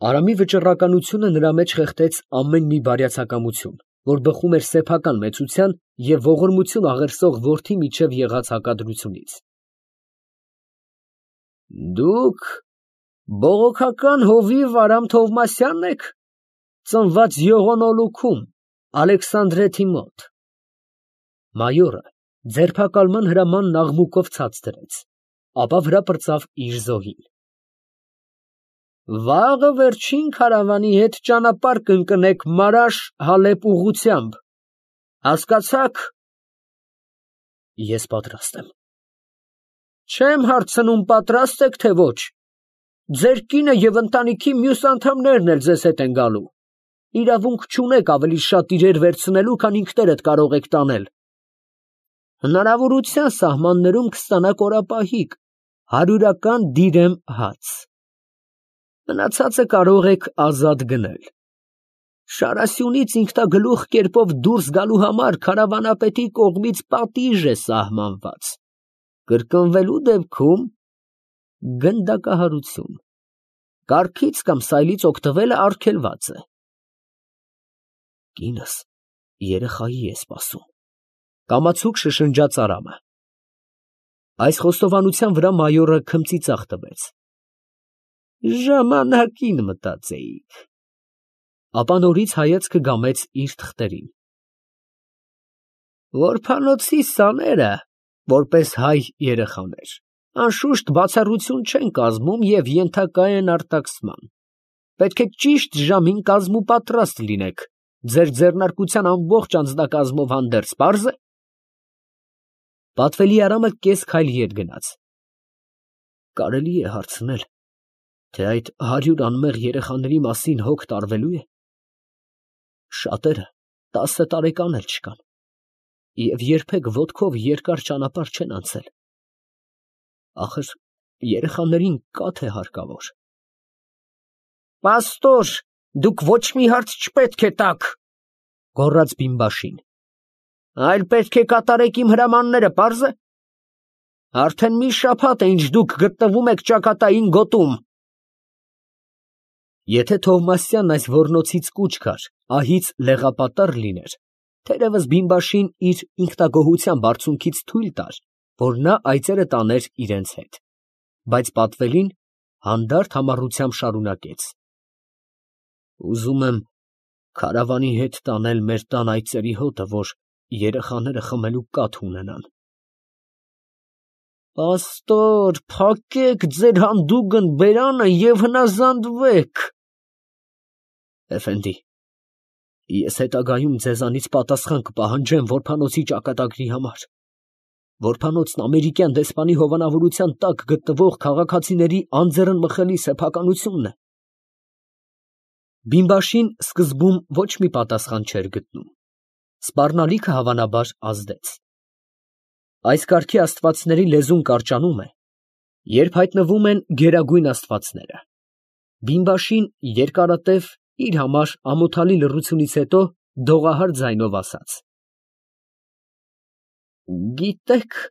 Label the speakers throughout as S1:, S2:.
S1: Արամի վճռականությունը նրա մեջ խեղդեց ամեն մի բարյացակամություն, որ բխում էր սեփական մեծության և ողորմություն աղերսող որդի միջև եղած հակադրությունից։ Դուք բողոքական հովիվ Արամ Թովմասյանն եք, ծնված Յողոնոլուքում, Ալեքսանդրետի մոտ։ Մայորը ձերբակալման հրամանն աղմուկով ցած դրեց, ապա վրա պրծավ իր զոհին։ Վաղը վերջին քարավանի հետ ճանապարհ կընկնեք Մարաշ֊Հալեբ ուղղությամբ, հասկացա՞ք։ Ես պատրաստ եմ։ Չեմ հարցնում պատրաստ եք, թե ոչ։ Ձեր կինը և ընտանիքի մյուս անդամներն էլ ձեզ հետ են գալու։ Իրավունք չունեք ավելի շատ իրեր վերցնելու, քան ինքներդ կարող եք տանել։ Հնարավորության սահմաններում կստանաք օրապահիկ, 100-ական դիրեմ հաց։ Մնացածը կարող եք ազատ գնել։ Շարասյունից ինքնագլուխ կերպով դուրս գալու համար քարավանապետի կողմից պատիժ է սահմանված։ Կրկնվելու դեպքում գնդակահարություն։ Կառքից կամ սայլից օգտվելը արգելված է։ Կինս երեխայի է սպասում, կամացուկ շշնջաց Արամը։ Այս խոստովանության վրա մայորը քմծիծաղ տվեց։ Ժամանակին մտածեիք։ Ապա նորից հայացքը գամեց իր թղթերին։ Որփանոցի սաները, որպես հայ երեխաներ, անշուշտ բացառություն չեն կազմում և ենթակա են արտաքսման։ Պետք է ճիշտ ժամին կազմուպատրաստ լինեք, ձեր ձեռնարկության ամբողջ անձնակազմով հանդերձ, պարզ է։ Պատվելի Արամը կես քայլ ետ գնաց։ Կարելի է հարցնել, թե այդ 100 անմեղ երեխաների մասին հոգ տարվելու է։ Շատերը 10 տարեկան էլ չկան և երբեք ոտքով երկար ճանապարհ չեն անցել։ Ախր երեխաներին կա թե հարկավոր։ Պաստոր, դուք ոչ մի հարց չպետք է տաք, գոռաց բիմբաշին, այլ պետք է կատարեք իմ հրամանները, պարզ է։ Արդեն մի շաբաթ է, ինչ դուք գտնվում եք ճակատային գոտում։ Եթե Թովմասյանն այս ոռնոցից կուչ գար, ահից լեղապատառ լիներ, թերևս բիմբաշին իր ինքնագոհության բարձունքից թույլ տար, որ նա այծերը տաներ իրենց հետ, բայց պատվելին հանդարտ համառությամբ շարունակեց. Ուզում եմ քարավանի հետ տանել մեր տան այծերի հոտը, որ երեխաները խմելու կաթ ունենան։ Պաստոր, փակեք ձեր հանդուգն բերանը և հնազանդվեք։ Էֆենդի, ես հետագայում ձեզանից պատասխան կպահանջեմ որբանոցի ճակատագրի համար։ Որբանոցն ամերիկյան դեսպանի հովանավորության տակ գտնվող քաղաքացիների անձեռնմխելի սեփականությունն է։ Բիմբաշին սկզբում ոչ մի պատասխան չէր գտնում։ Սպառնալիքը հավանաբար ազդեց։ Այս կարգի աստվածների լեզուն կարճանում է, երբ հայտնվում են գերագույն աստվածները։ Բիմբաշին երկարատև իր համար ամոթալի լռությունից հետո դողահար ձայնով ասաց. Գիտեք,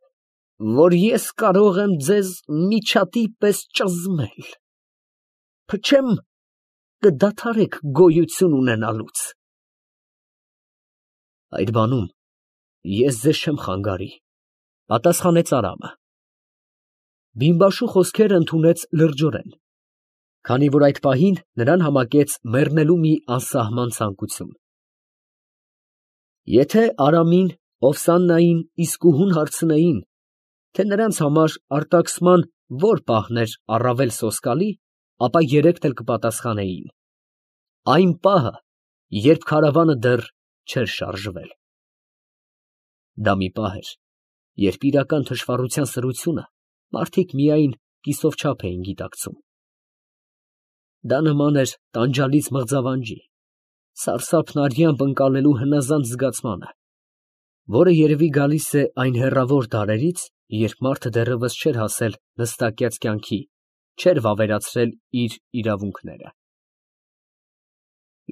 S1: որ ես կարող եմ ձեզ միջատի պես ճզմել, փչեմ կդադարեք գոյություն ունենալուց։ Այդ բանում ես ձեզ չեմ խանգարի, պատասխանեց Արամը։ Բիմբաշու խոսքերը ընդունեց լրջորեն, քանի որ այդ պահին նրան համակեց մեռնելու մի անսահման ցանկություն։ Եթե Արամին, Օվսաննային, իսկուհուն հարցնեին, թե նրանց համար արտաքսման որ պահն էր առավել սոսկալի, ապա երեքն էլ կպատասխանեին. այն պահը, երբ քարավանը դեռ չէր շարժվել։ Դա մի պահ էր, երբ իրական թշվառության սրությունը մարդիկ միայն կիսով չափ էին գիտակցում։ Դա նման էր տանջալից մղձավանջի, սարսափն արյամբ ընկալելու հնազանդ զգացմանը, որը երևի գալիս է այն հեռավոր դարերից, երբ մարդը դեռևս չէր հասել նստակյաց կյանքի, չէր վավերացրել իր իրավունքները։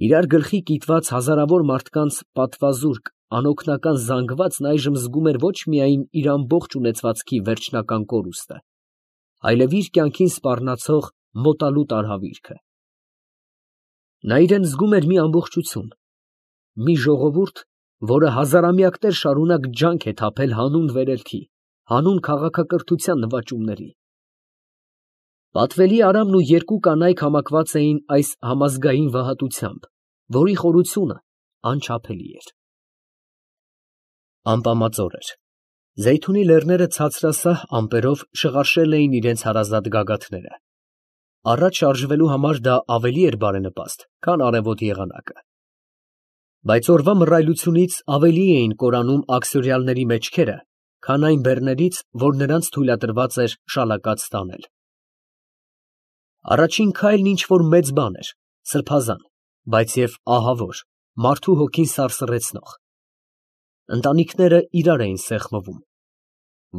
S1: Իրար գլխի կիտված հազարավոր մարդկանց պատվազուրկ, անօգնական զանգվածն այժմ զգում էր ոչ միայն իր ամբողջ ունեցվածքի վերջնական կորուստը, այլև իր կյանքին սպառնացող մոտալուտ արհավիրքը։ Նա իրան զգում էր մի ամբողջություն, մի ժողովուրդ, որը հազարամյակներ շարունակ ջանք է թափել հանուն վերելքի, հանուն քաղաքակրթության նվաճումների։ Պատվելի Արամն ու երկու կանայք համակված էին այս համազգային վհատությամբ, որի խորությունը անչափելի էր։ Ամպամածօր էր։ Զեյթունի լեռները ցածրասահ ամպերով շղարշել էին իրենց հարազատ գագաթները։ Առաջ շարժվելու համար դա ավելի էր բարենպաստ, քան արևոտ եղանակը։ Բայց օրվա մռայլությունից ավելի էին կորանում աքսորյալների մեջքերը, քան այն բեռներից, որ նրանց թույլատրված էր շալակած տանել։ Առաջին քայլն ինչ֊որ մեծ բան էր, սրբազան, բայց և ահավոր, մարդու հոգին սարսռեցնող։ Ընտանիքները իրար էին սեղմվում։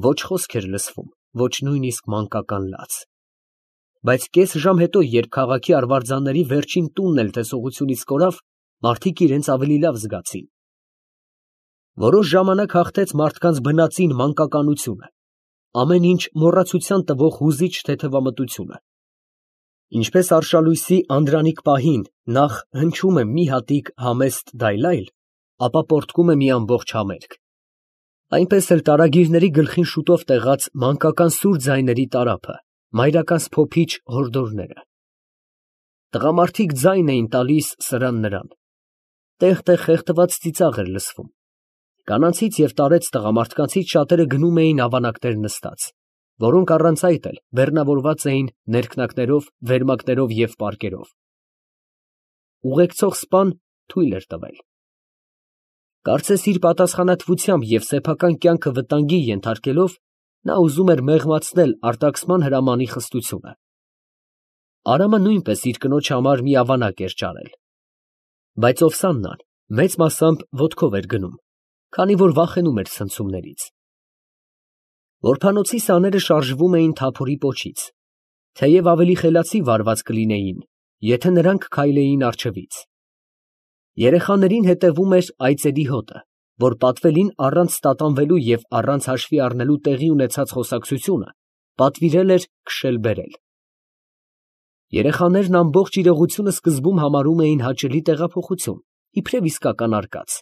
S1: Ոչ խոսք էր լսվում, ոչ նույնիսկ մանկական լաց։ Բայց կես ժամ հետո, երբ քաղաքի արվարձանների վերջին տունն էլ տեսողությունից կորավ, մարդիկ իրենց ավելի լավ զգացին։ Որոշ ժամանակ հաղթեց մարդկանց բնածին մանկականությունը, ամեն ինչ մոռացության տվող հուզիչ թեթևամտությունը։ Ինչպես արշալույսի անդրանիկ պահին նախ հնչում է մի հատիկ համեստ դայլայլ, ապա պոռթկում է մի ամբողջ համերգ, այնպես էլ տարագիրների գլխին շուտով տեղաց մանկական սուր ձայների տարափը, մայրական սփոփիչ հորդորները։ Տղամարդիկ ձայն էին տալիս սրան֊նրան, տեղ֊տեղ խեղդված ծիծաղ էր լսվում։ Կանանցից և տարեց տղամարդկանցից շատերը գնում էին ավանակներ նստած, որոնք առանց այդ էլ բեռնավորված էին ներքնակներով, վերմակներով և պարկերով։ Ուղեկցող սպան թույլ էր տվել։ Կարծես իր պատասխանատվությամբ և սեփական կյանքը վտանգի ենթարկելով, նա ուզում էր մեղմացնել արտաքսման հրամանի խստությունը։ Արամը նույնպես իր կնոջ համար մի ավանակ էր ճարել։ Բայց Օվսաննան մեծ մասամբ ոտքով էր գնում, քանի որ վախենում էր ցնցումներից։ Որբանոցի սաները շարժվում էին թափորի պոչից, թեև ավելի խելացի վարված կլինեին, եթե նրանք քայլեին առջևից։ Երեխաներին հետևում էր այծերի հոտը, որ պատվելին առանց տատանվելու և առանց հաշվի առնելու տեղի ունեցած խոսակցությունը պատվիրել էր քշել֊բերել։ Երեխաներն ամբողջ իրողությունը սկզբում համարում էին հաճելի տեղափոխություն, իբրև իսկական արկած։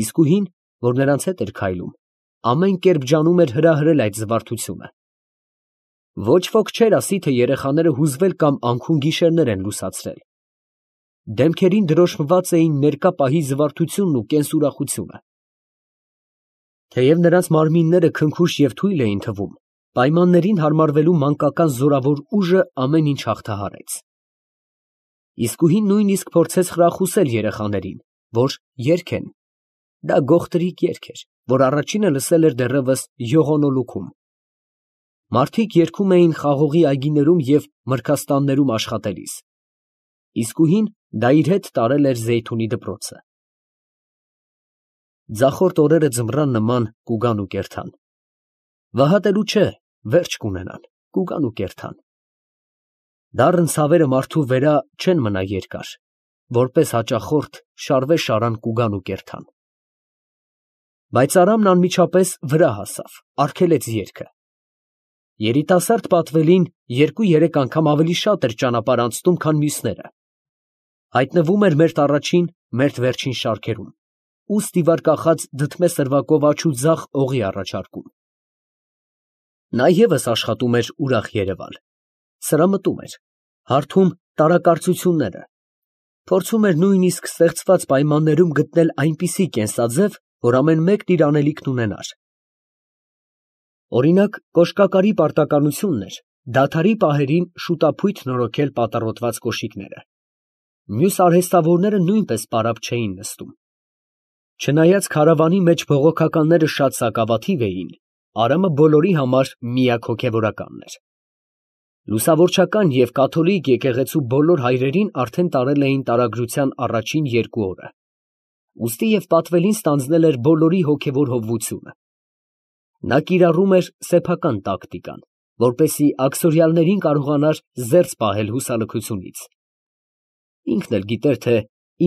S1: Իսկուհին, որ նրանց հետ էր քայլում, ամեն կերպ ջանում էր հրահրել այդ զվարթությունը։ Ոչ ոք չէր ասի, թե երեխաները հուզվել կամ անքուն գիշերներ են լուսացրել։ Դեմքերին դրոշմված էին ներկա պահի զվարթությունն ու կենսուրախությունը։ Թեև նրանց մարմինները քնքուշ և թույլ էին թվում, պայմաններին հարմարվելու մանկական զորավոր ուժը ամեն ինչ հաղթահարեց։ Իսկուհին նույնիսկ փորձեց խրախուսել երեխաներին, որ երգեն։ Դա գողտրիկ երգ էր, որ առաջինը լսել էր դեռևս յողոնոլուքում։ Մարդիկ երգում էին խաղողի այգիներում և մրգաստաններում աշխատելիս։ Իսկուհին դա իր հետ տարել էր Զեյթունի դպրոցը։ Ձախորդ օրերը ձմռան նման կուգան ու կերթան։ Վհատելու չէ, վերջ կունենան, կուգան ու կերթան։ Դառն ցավերը մարդու վերա չեն մնա երկար, որպես հաճախորդ շարվե շարան կուգան ու կերթան։ Բայց Արամն անմիջապես վրա հասավ, արգելեց երգը։ Երիտասարդ պատվելին 2-3 անգամ ավելի շատ էր ճանապարհ անցնում, քան մյուսները։ Հայտնվում էր մերթ առաջին, մերթ վերջին շարքերում, ու ստիվար կախած դդմե սրվակով աջ ու ձախ օղի առաջարկում։ Նա ևս աշխատում էր ուրախ երևալ, սրամտում էր, հարթում տարակարծությունները, փորձում էր նույնիսկ ստեղծված պայմաններում գտնել այնպիսի կենսաձև, որ ամեն մեկն իր անելիքն ունենար։ Օրինակ, կոշկակարի պարտականությունն էր դադարի պահերին շուտափույթ նորոգել պատառոտված կոշիկները։ Մյուս արհեստավորները նույնպես պարապ չէին նստում։ Չնայած քարավանի մեջ բողոքականները շատ սակավաթիվ էին, Արամը բոլորի համար միակ հոգևորականն էր։ Լուսավորչական և կաթոլիկ եկեղեցու բոլոր հայրերին արդեն տարել էին տարագրության առաջին 2 օրը, ուստի և պատվելին ստանձնել էր բոլորի հոգևոր հովվությունը։ Նա կիրառում էր սեփական տակտիկան, որպեսզի աքսորյալներին կարողանար զերծ պահել հուսալքությունից։ Ինքն էլ գիտեր, թե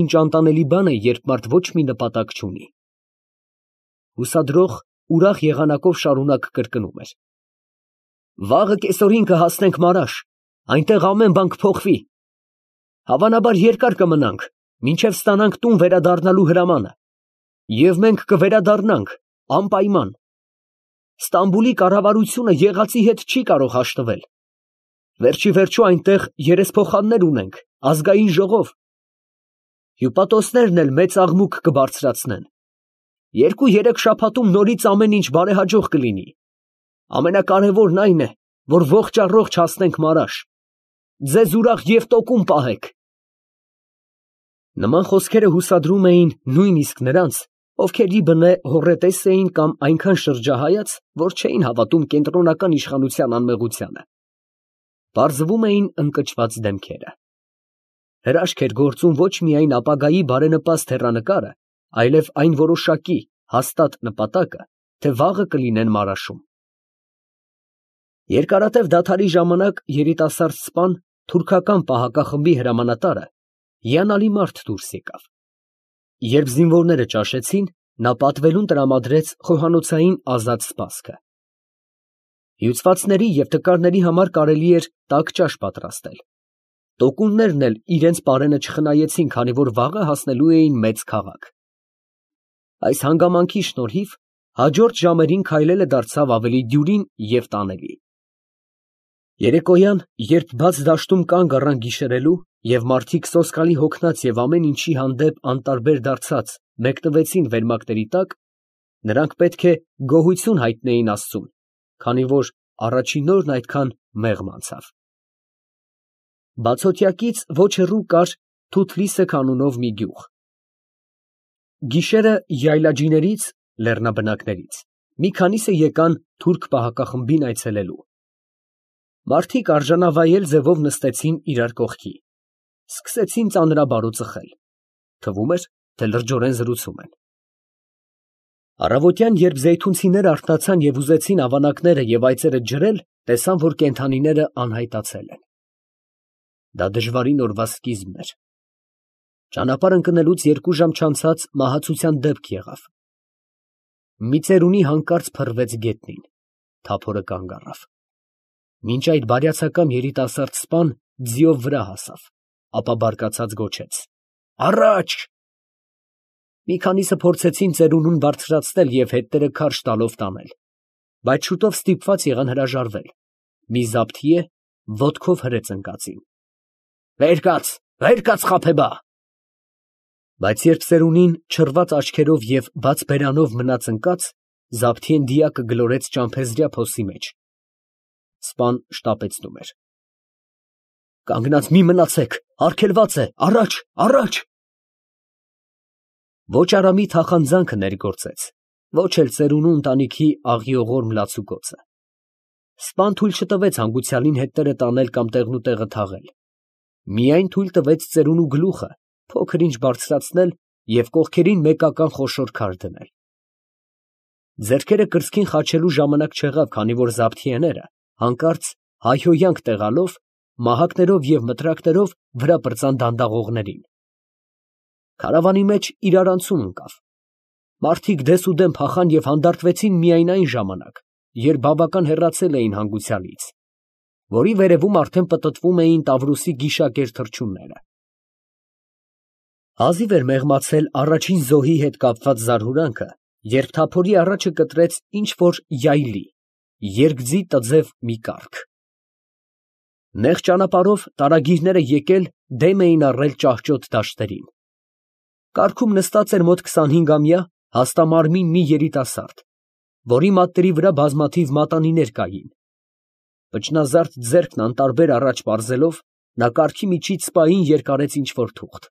S1: ինչ անտանելի բան է, երբ մարդ ոչ մի նպատակ չունի։ Հուսադրող, ուրախ եղանակով շարունակ կրկնում էր. «Վաղը կեսօրին կհասնենք Մարաշ, այնտեղ ամեն բան կփոխվի»։ Հավանաբար երկար կմնանք, մինչև ստանանք տուն վերադառնալու հրամանը, և մենք կվերադառնանք անպայման։ Ստամբուլի կառավարությունը եղածի հետ չի կարող հաշտվել. վերջիվերջո այնտեղ երեսփոխաններ ունենք, ազգային ժողով. հյուպատոսներն էլ մեծ աղմուկ կբարձրացնեն. 2-3 շաբաթում նորից ամեն ինչ բարեհաջող կլինի. ամենակարևորն այն է, որ ողջ առողջ հասնենք Մարաշ. ձեզ ուրախ և տոկուն պահեք։ Նման խոսքերը հուսադրում էին նույնիսկ նրանց, ովքեր ի բնե հոռետես էին կամ այնքան շրջահայաց, որ չէին հավատում կենտրոնական իշխանության անմեղությանը։ Պարզվում էին ընկճված դեմքերը։ Հրաշք էր գործում ոչ միայն ապագայի բարենպաստ հեռանկարը, այլև այն որոշակի, հաստատ նպատակը, թե վաղը կլինեն Մարաշում։ Երկարատև դադարի ժամանակ երիտասարդ սպան, թուրքական պահակախմբի հրամանատարը, հիանալի մարդ դուրս եկավ։ Երբ զինվորները ճաշեցին, նա պատվելուն տրամադրեց խոհանոցային ազատ սպասքը։ Հյուծվածների և տկարների համար կարելի էր տաք ճաշ պատրաստել։ Տոկուններն էլ իրենց պարենը չխնայեցին, քանի որ վաղը հասնելու էին մեծ քաղաք։ Այս հանգամանքի շնորհիվ հաջորդ ժամերին քայլելը դարձավ ավելի դյուրին և տանելի։ Երեկոյան, երբ բաց դաշտում կանգ առան գիշերելու, և մարդիկ սոսկալի հոգնած և ամեն ինչի հանդեպ անտարբեր դարձած մեկնվեցին վերմակների տակ, նրանք պետք է գոհություն հայտնեին Աստծուն, քանի որ առաջին օրն այդքան մեղմ անցավ։ Բացօթյակից ոչ հեռու կար Թութլիսեք անունով մի գյուղ։ Գիշերը յայլաջիներից (լեռնաբնակներից) մի քանիսը եկան թուրք պահակախմբին այցելելու։ Մարդիկ արժանավայել ձևով նստեցին իրար կողքի, սկսեցին ծանրաբարո ծխել, թվում էր, թե լրջորեն զրուցում են։ Առավոտյան, երբ զեյթունցիները արթնացան և ուզեցին ավանակները և այծերը ջրել, տեսան, որ կենդանիները անհայտացել են։ Դա դժվարին օրվա սկիզբն էր։ Ճանապարհ ընկնելուց 2 ժամ չանցած մահացության դեպք եղավ։ Մի ծերունի հանկարծ փռվեց գետնին, թափորը կանգ առավ։ Մինչ այդ բարյացակամ երիտասարդ սպան ձիով վրա հասավ, ապա բարկացած գոչեց. «Առաջ»։ Մի քանիսը փորձեցին ծերունուն բարձրացնել և հետները քարշ տալով տանել, բայց շուտով ստիպված եղան հրաժարվել, մի զաբթիե ոտքով հրեց ընկածին։ «Վեր կաց, վեր կաց, խաբեբա»։ Բայց երբ ծերունին չռված աչքերով և բաց բերանով մնաց ընկած, զաբթիեն դիակը գլորեց ճամփեզրյա փոսի մեջ։ Սպան շտապեցնում էր։ «Կանգնած մի մնացեք, արգելված է, առաջ, առաջ»։ Ոչ Արամի թախանձանքը ներգործեց, ոչ էլ ծերունու ընտանիքի աղիողորմ լացուկոցը։ Սպան թույլ չտվեց հանգուցյալին հետները տանել կամ տեղնուտեղը թաղել, միայն թույլ տվեց ծերունու գլուխը փոքր ինչ բարձրացնել և կողքերին մեկական խոշոր քար դնել։ Ձեռքերը կրծքին խաչելու ժամանակ չեղավ, քանի որ զաբթիեները հանկարծ հայհոյանք տեղալով, մահակներով և մտրակներով վրա պրծան դանդաղողներին։ Քարավանի մեջ իրարանցում ընկավ։ Մարդիկ դեսուդեն փախան և հանդարտվեցին միայն այն ժամանակ, երբ բավական հեռացել էին հանգուցյալից, որի վերևում արդեն պտտվում էին Տավրոսի գիշակեր թռչունները։ Հազիվ էր մեղմացել առաջին զոհի հետ կապված զարհուրանքը, երբ թափորի առաջը կտրեց ինչ֊որ յայլի, երկձի տձև մի կառք։ Նեղ ճանապարհով տարագիրները եկել դեմ էին առել ճահճոտ դաշտերին։ Կառքում նստած էր մոտ 25-ամյա հաստամարմին մի երիտասարդ, որի մատների վրա բազմաթիվ մատանիներ կային։ Վճնազարդ ձեռքն անտարբեր առաջ պարզելով, նա կառքի միջից սպային երկարեց ինչ֊որ թուղթ։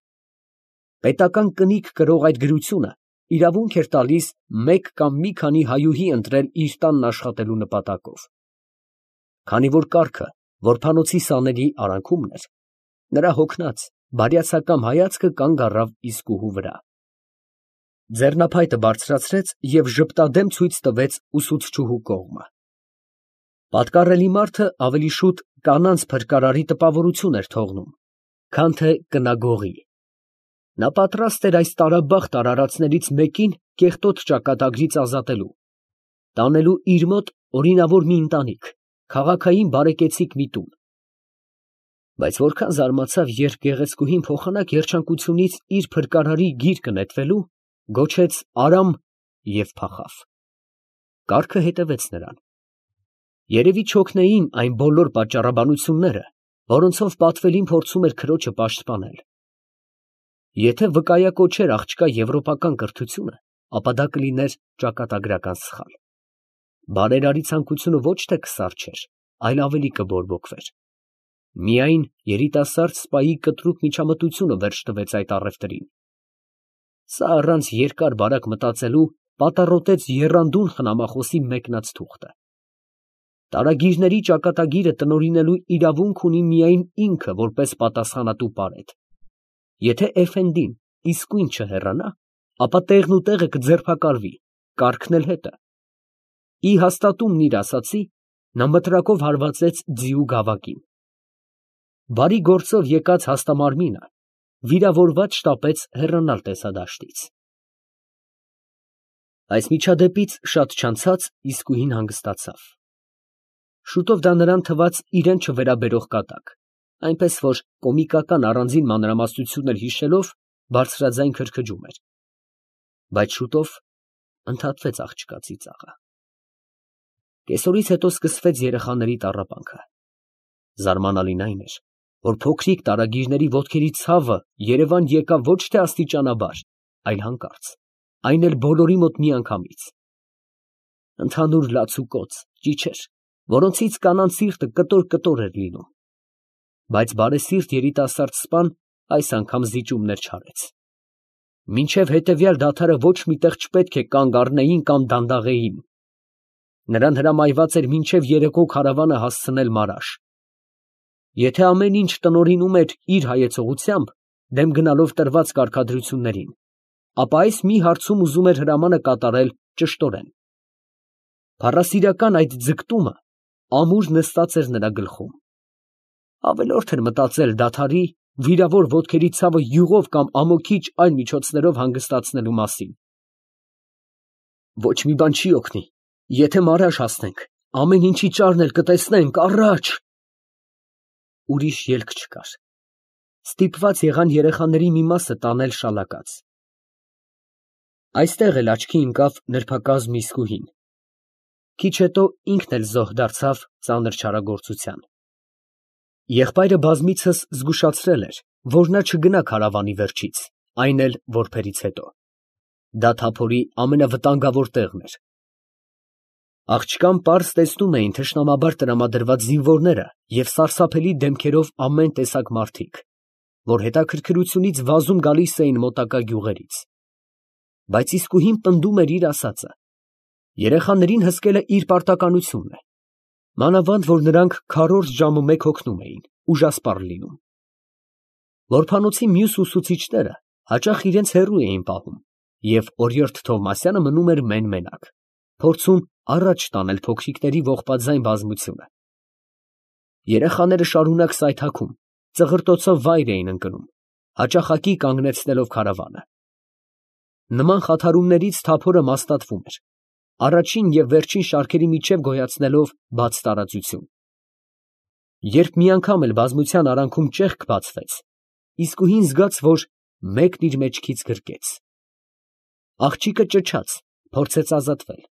S1: Պետական կնիկ կրող այդ գրությունը իրավունք էր տալիս մեկ կամ մի քանի հայուհի ընտրել իր տանն աշխատելու նպատակով։ Քանի որ կառքը որբանոցի սաների արանքումն էր, նրա հոգնած, բարյացակամ հայացքը կանգ առավ իսկուհու վրա։ Ձեռնափայտը բարձրացրեց և ժպտադեմ ցույց տվեց ուսուցչուհու կողմը։ Պատկառելի մարդը ավելի շուտ կանանց փրկարարի տպավորություն էր թողնում, քան թե կնագողի։ Նա պատրաստ էր այս տարաբախտ արարածներից մեկին կեղտոտ ճակատագրից ազատելու, տանելու իր մոտ օրինավոր մի ընտանիք, քաղաքային բարեկեցիկ մի տուն։ Բայց որքան զարմացավ, երբ գեղեցկուհին փոխանակ երջանկությունից իր փրկարարի գիրկը նետվելու, գոչեց «Արամ» և փախավ։ Կառքը հետևեց նրան։ Երևի չօգնեին այն բոլոր պատճառաբանությունները, որոնցով պատվելին փորձում էր քրոջը պաշտպանել։ Եթե վկայակոչեր աղջկա եվրոպական կրթությունը, ապա դա կլիներ ճակատագրական սխալ։ Բարերարի ցանկությունը ոչ թե կսառչեր, այլ ավելի կբորբոքվեր։ Միայն երիտասարդ սպայի կտրուկ միջամտությունը վերջ տվեց այդ առևտրին։ Սա առանց երկար բարակ մտածելու պատառոտեց եռանդուն խնամախոսի մեկնած թուղթը։ Տարագիրների ճակատագիրը տնօրինելու իրավունք ունի միայն ինքը որպես պատասխանատու պարետ։ Եթե էֆենդին իսկույն չհեռանա, ապա տեղն ու տեղը կձերբակալվի, կառքն էլ հետը։ Ի հաստատումն իր ասացի, նա մտրակով հարվածեց ձիու գավակին։ Բարի գործով եկած հաստամարմինը վիրավորված շտապեց հեռանալ տեսադաշտից։ Այս միջադեպից շատ չանցած իսկույն հանգստացավ։ Շուտով դա նրան թվաց իրան չվերաբերող կատակ, այնպես որ կոմիկական առանձին մանրամասնություններ հիշելով բարձրաձայն քրքջում էր։ Բայց շուտով ընդհատվեց աղջկա ծիծաղը։ Կեսօրից հետո սկսվեց երեխաների տառապանքը։ Զարմանալին այն էր, որ փոքրիկ տարագիրների ոտքերի ցավը Երևան եկավ ոչ թե աստիճանաբար, այլ հանկարծ, այն էլ բոլորի մոտ միանգամից։ Ընդհանուր լացուկոծ, ճիչեր, որոնցից կանանց սիրտը կտոր էր լինում։ Բայց բարեսիրտ երիտասարդ սպան այս անգամ զիջումներ չարեց։ Մինչև հետևյալ դադարը ոչ մի տեղ չպետք է կանգ առնեին կամ դանդաղեին։ Նրան հրամայված էր մինչև երեկո քարավանը հասցնել Մարաշ։ Եթե ամեն ինչ տնօրինում էր իր հայեցողությամբ, դեմ գնալով տրված կարգադրություններին, ապա այս մի հարցում ուզում էր հրամանը կատարել ճշտորեն։ Փառասիրական այդ ձգտումը ամուր նստած էր նրա գլխում։ Ավելորդ էր մտածել դադարի վիրավոր ոտքերի ցավը յուղով կամ ամոքիչ այլ միջոցներով հանգստացնելու մասին։ Ոչ մի բան չի օգնի, եթե Մարաշ հասնենք, ամեն ինչի ճարն էլ կտեսնենք, առաջ։ Ուրիշ ելք չկար։ Ստիպված եղան երեխաների մի մասը տանել շալակած։ Այստեղ էլ աչքի ընկավ նրբակազմ իսկուհին։ Քիչ հետո ինքն էլ զոհ դարձավ ծանր չարագործության։ Եղբայրը բազմիցս զգուշացրել էր, որ նա չգնա քարավանի վերջից, այն էլ որբերից հետո։ Դա թափորի ամենավտանգավոր տեղն էր։ Աղջկան պարզ տեսնում էին թշնամաբար տրամադրված զինվորները և սարսափելի դեմքերով ամեն տեսակ մարդիկ, որ հետաքրքրությունից վազում գալիս էին մոտակա գյուղերից։ Բայց իսկուհին պնդում էր իր ասածը։ Երեխաներին հսկել է իր պարտականությունն է։ Մանավանդ, որ նրանք քառորդ ժամը մեկ հոգնում էին, ուժասպառ լինում։ Որբանոցի մյուս ուսուցիչները հաճախ իրենց հեռու էին պահում, և օրիորդ Թովմասյանը մնում էր մեն֊մենակ, փորձում առաջ տանել փոքրիկների ողբաձայն բազմությունը։ Երեխաները շարունակ սայթաքում, ծղրտոցով վայր էին ընկնում, հաճախակի կանգնեցնելով քարավանը։ Նման խաթարումներից թափորը մաստատվում էր, առաջին և վերջին շարքերի միջև գոյացնելով բաց տարածություն։ Երբ մի անգամ էլ բազմության արանքում ճեղք բացվեց, իսկուհին զգաց, որ մեկն իր մեջքից գրկեց։ Աղջիկը ճչաց, փորձեց ազատվել։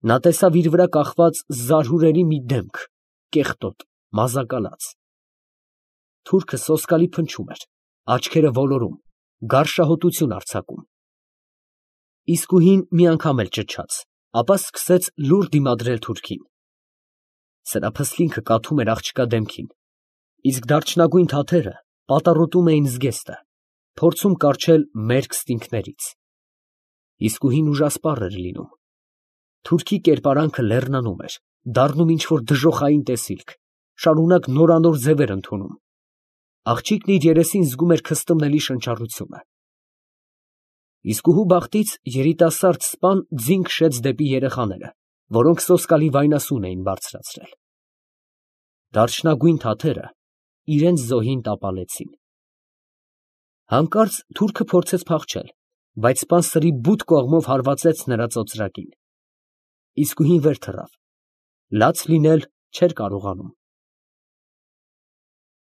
S1: Նա տեսավ իր վրա կախված զարհուրելի մի դեմք, կեղտոտ, մազակալած։ Թուրքը սոսկալի փնչում էր, աչքերը ոլորում, գարշահոտություն արձակում։ Իսկուհին մի անգամ էլ ճչաց, ապա սկսեց լուռ դիմադրել թուրքին։ Սրափսլինքը կաթում էր աղջկա դեմքին, իսկ դարչնագույն թաթերը պատառոտում էին զգեստը, փորձում կառչել մերկ ստինգներից։ Իսկուհին ուժասպառ էր լինում։ Թուրքի կերպարանքը լեռնանում էր, դառնում ինչ֊որ դժոխային տեսիլք, շարունակ նորանոր ձևեր ընդունում։ Աղջիկն իր երեսին զգում էր քստմնելի շնչառությունը։ Իսկուհու բախտից երիտասարդ սպան ձին քշեց դեպի երեխաները, որոնք սոսկալի վայնասուն էին բարձրացրել։ Դարչնագույն թաթերը իրենց զոհին տապալեցին։ Հանկարծ թուրքը փորձեց փախչել, բայց սպան սրի բութ կողմով հարվածեց նրա ծոծրակին։ Իսկուհին վեր թռավ, լաց լինել չէր կարողանում։